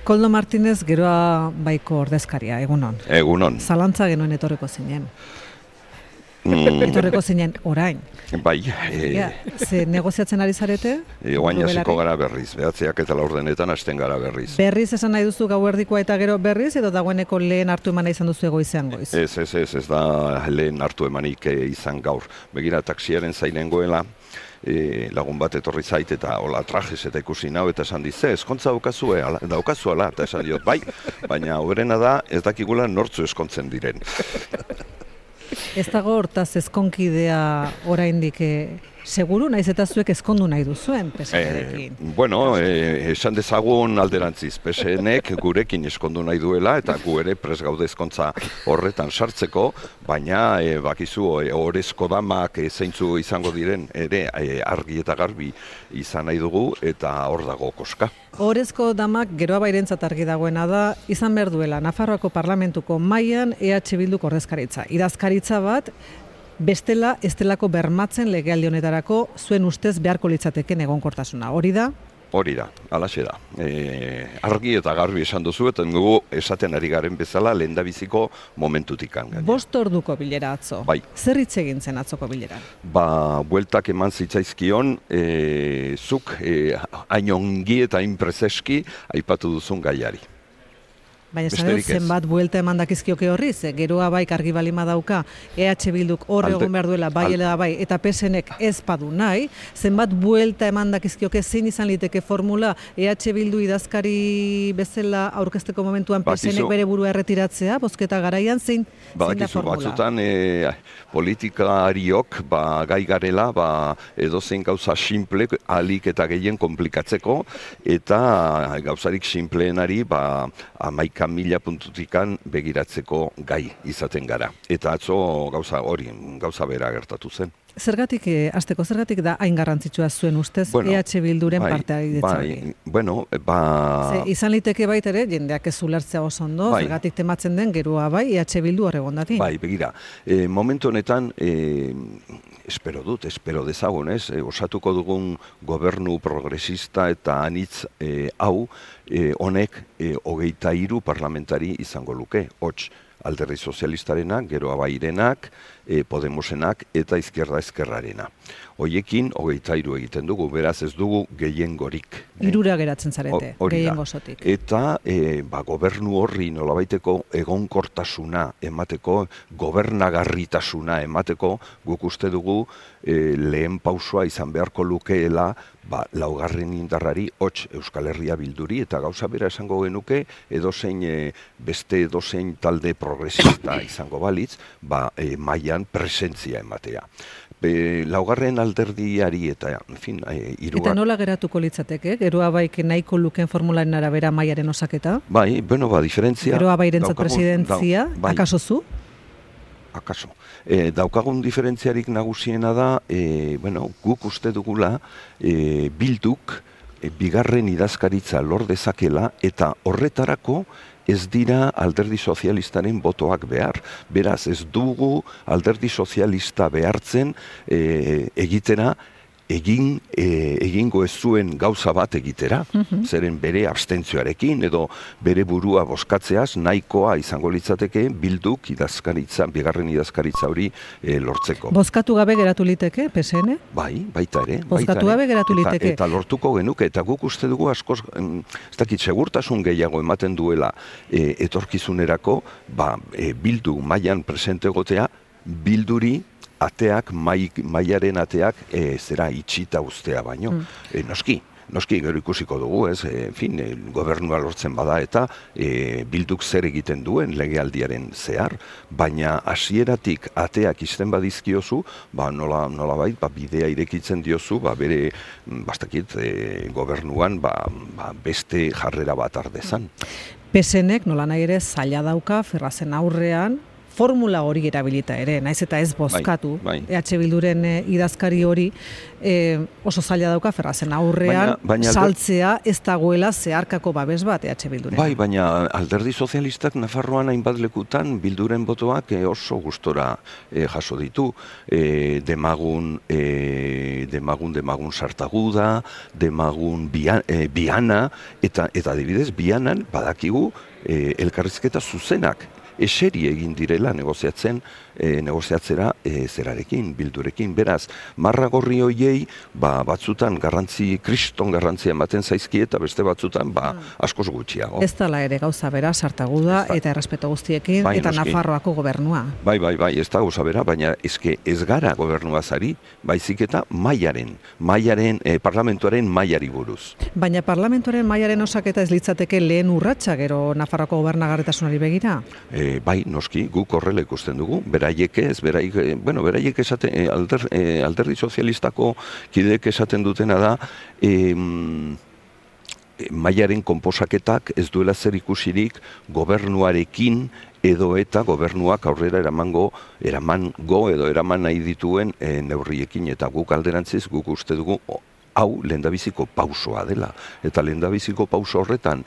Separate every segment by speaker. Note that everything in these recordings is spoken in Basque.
Speaker 1: Koldo Martinez Geroa Baiko ordezkaria, egunon.
Speaker 2: Egunon.
Speaker 1: Zalantza genuen etorreko zinen. Etorreko zinen orain.
Speaker 2: Bai.
Speaker 1: Ze negoziatzen ari zarete?
Speaker 2: Oain hasiko gara berriz, behatzeak eta laurdenetan hasten gara berriz.
Speaker 1: Berriz esan nahi duzu gauerdikoa eta gero berriz, edo dagoeneko lehen hartu emana izan duzu goizean goiz?
Speaker 2: Ez da lehen hartu emanik izan gaur. Begira, taksiaren zainengoela, lagun bat etorri zait eta hola trajes eta ikusi nau eta esan dize, eskontza daukazuela, eta esan diot, bai, baina hoberena da ez dakigula nortzu eskontzen diren.
Speaker 1: Ez dago hortaz ezkonkidea oraindik seguru, naiz eta zuek ezkondu nahi duzuen PSNekin.
Speaker 2: Bueno, esan dezagun alderantziz, PSNek gurekin eskondu nahi duela eta gu ere pres gaude ezkontza horretan sartzeko, baina bakizu orezko damak zeintzu izango diren ere argi eta garbi izan nahi dugu eta hor dago koska.
Speaker 1: Orezko damak Geroa Bairentzat argi dagoena da, izan behar duela Nafarroako Parlamentuko mailan EH Bilduk ordezkaritza. Idazkaritza bat, bestela ez delako bermatzen legealdi honetarako zuen ustez beharko litzateken egonkortasuna. Hori da?
Speaker 2: Hori da, alaxe da. Argi eta garbi esan duzu, eta dugu esaten ari garen bezala lehendabiziko momentutik gaina.
Speaker 1: 5 orduko bilera atzo.
Speaker 2: Bai.
Speaker 1: Zer hitz egin zen atzoko bileran?
Speaker 2: Bueltak eman zitzaizkion, zuk hain ongi eta hain prezeski aipatu duzun gaiari.
Speaker 1: Baina zenbat buelta eman dakizkioke horri, Geroa Baik argi balima dauka, EH Bilduk hor egon behar duela, bai, eta PSNek ez padu nahi, zenbat buelta eman dakizkioke zein izan liteke formula, EH Bildu idazkari bezala aurkezteko momentuan PSNek bere burua erretiratzea, bozketa garaian, zein da formula?
Speaker 2: Batzutan politikariok gai garela edozein gauza simple alik eta gehien komplikatzeko, eta gauzarik simpleenari 11.000 puntutikan begiratzeko gai izaten gara. Eta atzo gauza bera gertatu zen.
Speaker 1: Zergatik da hain garrantzitsua zuen ustez EH Bilduren partearitza hori? Izan liteke baita ere, jendeak ez ulertzea oso ondo, zergatik tematzen den Geroa Bai, EH Bildu horregon dati?
Speaker 2: Bai, begira, momentu honetan, espero dezagun, osatuko dugun gobernu progresista eta anitz hau, honek 23 parlamentari izango luke, hots, Alderdi Sozialistarenak, Geroa Bairenak, Podemosenak eta Izquierda Ezkerrarena. Hoiekin 23 egiten dugu, beraz ez dugu gehiengorik.
Speaker 1: 3 geratzen zarete, gehiengosotik.
Speaker 2: Eta gobernu horri nolabaiteko egonkortasuna emateko, gobernagarritasuna emateko, guk uste dugu lehen pausua izan beharko lukeela laugarren indarrari hots Euskal Herria Bilduri, eta gauza bera esango genuke beste edozein talde progresista izango balitz, mailan presentzia ematea. Laugarren alderdiari eta,
Speaker 1: Eta nola geratuko litzateke? Geroa Baik nahiko luken formularen arabera mailaren osaketa?
Speaker 2: Bai, diferentzia...
Speaker 1: Geroa Bairentzat presidentzia, akaso zu?
Speaker 2: Akaso. Daukagun diferentziarik nagusiena da, guk uste dugula Bilduk bigarren idazkaritza lor dezakela eta horretarako ez dira Alderdi Sozialistaren botoak behar. Beraz, ez dugu Alderdi Sozialista behartzen egitera egingo ez zuen gauza bat egitera, zeren bere abstentzioarekin edo bere burua bozkatzeaz nahikoa izango litzateke Bilduk bigarren idazkaritza hori lortzeko.
Speaker 1: Bozkatu gabe geratu liteke, PSN?
Speaker 2: Bai, baita ere.
Speaker 1: Bozkatu gabe geratu liteke.
Speaker 2: Eta lortuko genuke, eta guk uste dugu askoz, ez dakit, segurtasun gehiago ematen duela etorkizunerako, Bildu mailan presente egotea, Bilduri ateak, mailaren ateak zera itxita ustea baino. Noski gero ikusiko dugu, gobernua lortzen bada eta Bilduk zer egiten duen legealdiaren zehar, baina hasieratik ateak izten badizkiozu, nolabait bidea irekitzen diozu, bere gobernuan beste jarrera bat ardezan.
Speaker 1: PSNek nola nahi ere zaila dauka Ferrazen aurrean, formula hori erabilita ere, naiz eta ez bozkatu, EH Bilduren idazkari hori oso zaila dauka Ferrazen aurrean, saltzea ez dagoela zeharkako babes bat EH Bilduren.
Speaker 2: Bai, baina alderdi sozialistak Nafarroan hainbat lekutan Bilduren botoak oso gustora jaso ditu. Demagun Sartaguda, Demagun Biana, eta adibidez, Bianan badakigu elkarrizketa zuzenak eseri egin direla negoziatzera zerarekin, Bildurekin. Beraz, marra gorri hoiei batzutan kriston garrantzia ematen zaizki eta beste batzutan askoz gutxiago.
Speaker 1: Ez dela ere gauza bera, Sartaguda eta errespeto guztiekin eta Nafarroako gobernua.
Speaker 2: Bai, ez da gauza bera, baina ez gara gobernuazari, baizik eta parlamentuaren mailari buruz.
Speaker 1: Baina parlamentuaren mailaren osaketa ez litzateke lehen urratsa gero Nafarroako gobernagarritasunari begira?
Speaker 2: Bai, noski, guk horrela ikusten dugu, beraiek esaten, alderdi sozialistako kideek esaten dutena da, mailaren konposaketak ez duela zer ikusirik gobernuarekin edo eta gobernuak aurrera eraman nahi dituen neurriekin, eta guk alderantziz, guk uste dugu, hau lehendabiziko pausoa dela. Eta lehendabiziko pauso horretan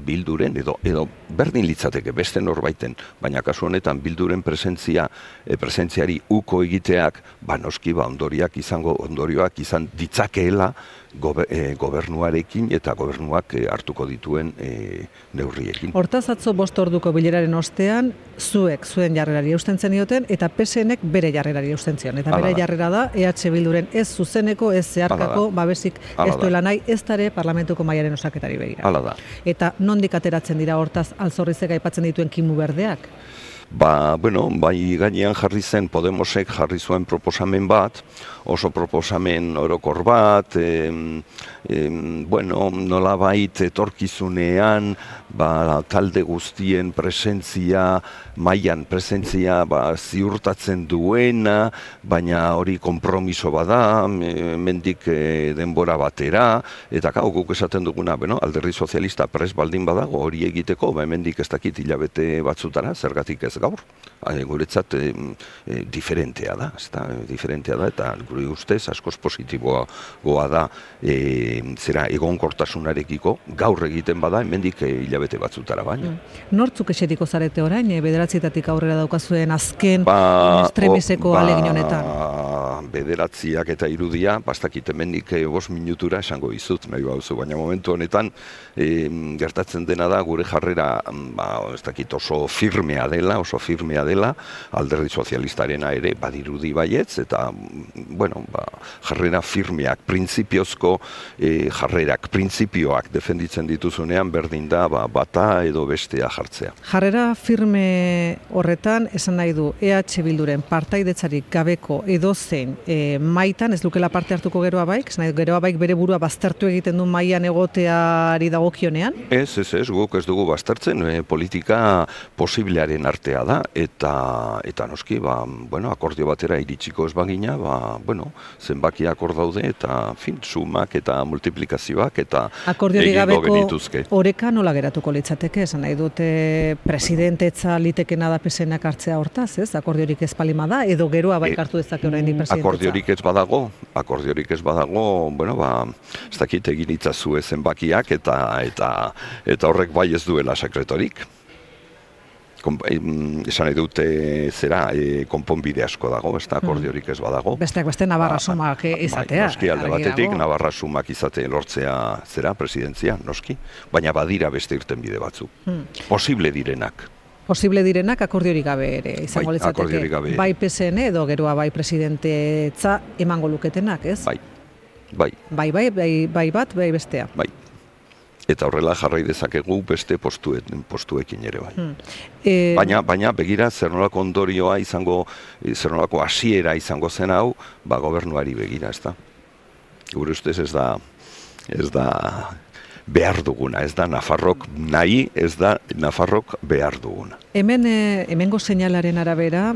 Speaker 2: Bilduren, edo berdin litzateke beste norbaiten, baina kasu honetan Bilduren presentziari uko egiteak, noski ondorioak izan ditzakeela gobernuarekin eta gobernuak hartuko dituen neurriekin.
Speaker 1: Hortaz atzo 5 orduko bileraren ostean, zuen jarrerari eusten zenioten, eta PSNek bere jarrerari eusten zion. Eta bere jarrera da, EH Bilduren ez zuzeneko, ez zeharkako, babesik ez duela nahi, ez dare parlamentuko mailaren osaketari begira.
Speaker 2: Hala da.
Speaker 1: Eta nondik ateratzen dira hortaz Alzorrizek aipatzen dituen kimu berdeak?
Speaker 2: Bai gainean jarri zen, Podemosek jarri zuen proposamen bat, oso proposamen orokor bat, nolabait etorkizunean, talde guztien mailan presentzia ziurtatzen duena, baina hori konpromiso bada, mendik denbora batera, eta guk esaten duguna, alderdi sozialista pres baldin badago hori egiteko, mendik ez dakit hilabete batzutara, zergatik ez gaur. Guretzat diferentea da, eta gure ustez askoz positiboa da egonkortasunarekiko gaur egiten bada, hemendik hilabete batzutara baina.
Speaker 1: Nortzuk eseriko zarete orain, 9-etatik aurrera daukazuen azken estremeseko alegin honetan?
Speaker 2: 9 eta 3, bastakit hemendik 5 minutura esango izut, nahi bauzu, baina momentu honetan gertatzen dena da gure jarrera ez dakit oso firmea dela, alderdi sozialistarena ere badirudi baietz, eta jarrera firmeak, printzipiozko jarrerak, printzipioak defenditzen dituzunean berdin da bata edo bestea jartzea.
Speaker 1: Jarrera firme horretan esan nahi du EH Bilduren partaidetzarik gabeko edozein maitan ez lukela parte hartuko Geroa Baik? Esan nahi du Geroa Baik bere burua baztertu egiten du mailan egoteari dagokionean?
Speaker 2: Ez, guk ez dugu baztertzen, politika posiblearen artea da, eta noski, akordio batera iritsiko ez bagina, zenbakiak hor daude, eta sumak eta multiplikazioak eta egingo genituzke.
Speaker 1: Oreka nola geratuko litzateke, esan nahi dute presidentetza litekena da PSNak hartzea hortaz, ez? Akordiorik ez palima da, edo Geroa Baik hartu dezake oraindik presidentetza?
Speaker 2: Akordiorik ez badago, ez dakit egin itzazue zenbakiak eta horrek bai ez duela sekretorik. Esan nahi dute konponbide asko dago, ez da akordiorik ez badago.
Speaker 1: Besteak beste Navarra sumak izatea.
Speaker 2: Noski alde batetik, Navarra sumak izate lortzea presidentzia, noski, baina badira beste irtenbide batzuk. Posible direnak.
Speaker 1: Posible direnak akordiorik gabe ere izango litzateke. Bai PSN edo Geroa Bai presidentetza emango luketenak, ez?
Speaker 2: Bai
Speaker 1: bat, bai bestea.
Speaker 2: Bai. Eta horrela jarrai dezakegu beste postuekin ere bai. Baina begira zer nolako ondorioa izango, zer nolako hasiera izango zen hau, gobernuari begira, ez da. Gure ustez ez da behar duguna, ez da Nafarrok nahi, ez da Nafarrok behar duguna.
Speaker 1: Hemengo seinalaren arabera,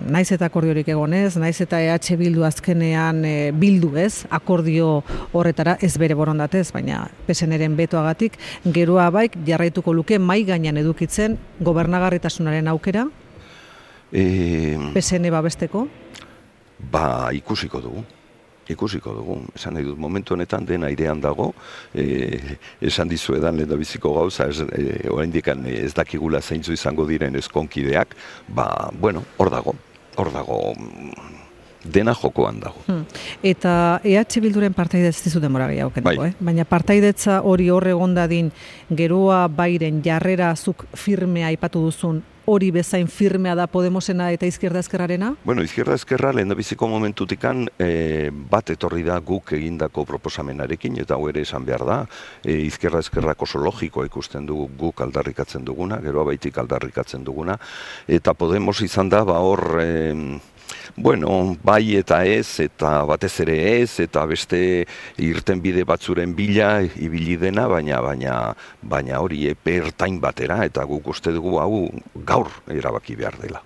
Speaker 1: naiz eta akordiorik egonez, naiz eta EH Bildu azkenean bildu ez, akordio horretara ez bere borondatez, baina PSNren betoagatik, Geroa Baik jarraituko luke mai gainean edukitzen gobernagarritasunaren aukera? PSN babesteko?
Speaker 2: Ba, ikusiko dugu. Esan nahi dut, momentu honetan den airean dago, esan dizuedan lehendabiziko gauza, oraindik ez dakigula zeintzu izango diren ezkonkideak, ba, bueno, hor dago, dena jokoan dago.
Speaker 1: Eta EH Bilduren partaidetza ez dizu denbora gehiago kenduko, baina partaidetza hori hor egon dadin, geroa bairen jarrera zuk firmea aipatu duzun, hori bezain firmea da Podemosena eta Izquierda Ezkerrarena?
Speaker 2: Bueno, Izquierda Ezkerra lehendabiziko momentutikan bat etorri da guk egindako proposamenarekin, eta hau ere esan behar da, Izquierda Ezkerrak oso logikoa ikusten dugu guk aldarrikatzen duguna, geroa baitik aldarrikatzen duguna, eta Podemos izan da, ba hor, bueno, bai eta ez, eta batez ere ez, eta beste irtenbide batzuren bila ibili dena, baina hori epe ertain batera, eta guk uste dugu hau gaur erabaki behar dela.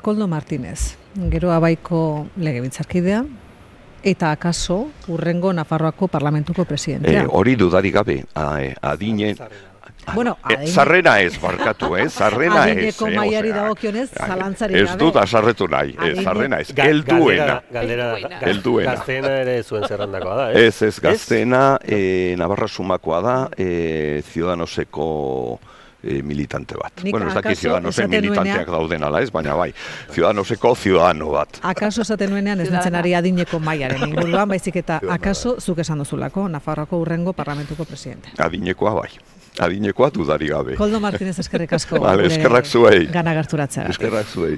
Speaker 1: Koldo Martínez, Geroa Baiko legebiltzarkidea, eta akaso urrengo Nafarroako parlamentuko presidentea.
Speaker 2: Hori dudarik gabe, adine...
Speaker 1: Bueno,
Speaker 2: zarrera ez, barkatu, zarrera ez.
Speaker 1: Adineko maiari dagokionez, zalantzarik gabe.
Speaker 2: Ez dut azarretu nahi, zarrena ez, helduena.
Speaker 3: Gazteena ere zuen zerrandakoa da,
Speaker 2: ez? Ez, Gazteena, Navarra Sumakoa da, Ciudadanoseko militante bat. Bueno, ez daki Ciudadanosen militanteak dauden ala ez, baina bai, Ciudadanoseko ciudadano bat.
Speaker 1: Akaso esaten nuenean ez nintzen ari adineko maiaren inguruan, baizik eta akaso zuk esan duzulako, Nafarroako urrengo parlamentuko presidente.
Speaker 2: Adinekoa bai. Adinekoa dudari gabe.
Speaker 1: Koldo Martínez eskerrik asko.
Speaker 2: Eskerrak zuei.
Speaker 1: Gana gerturatzea.
Speaker 2: Eskerrak zuei.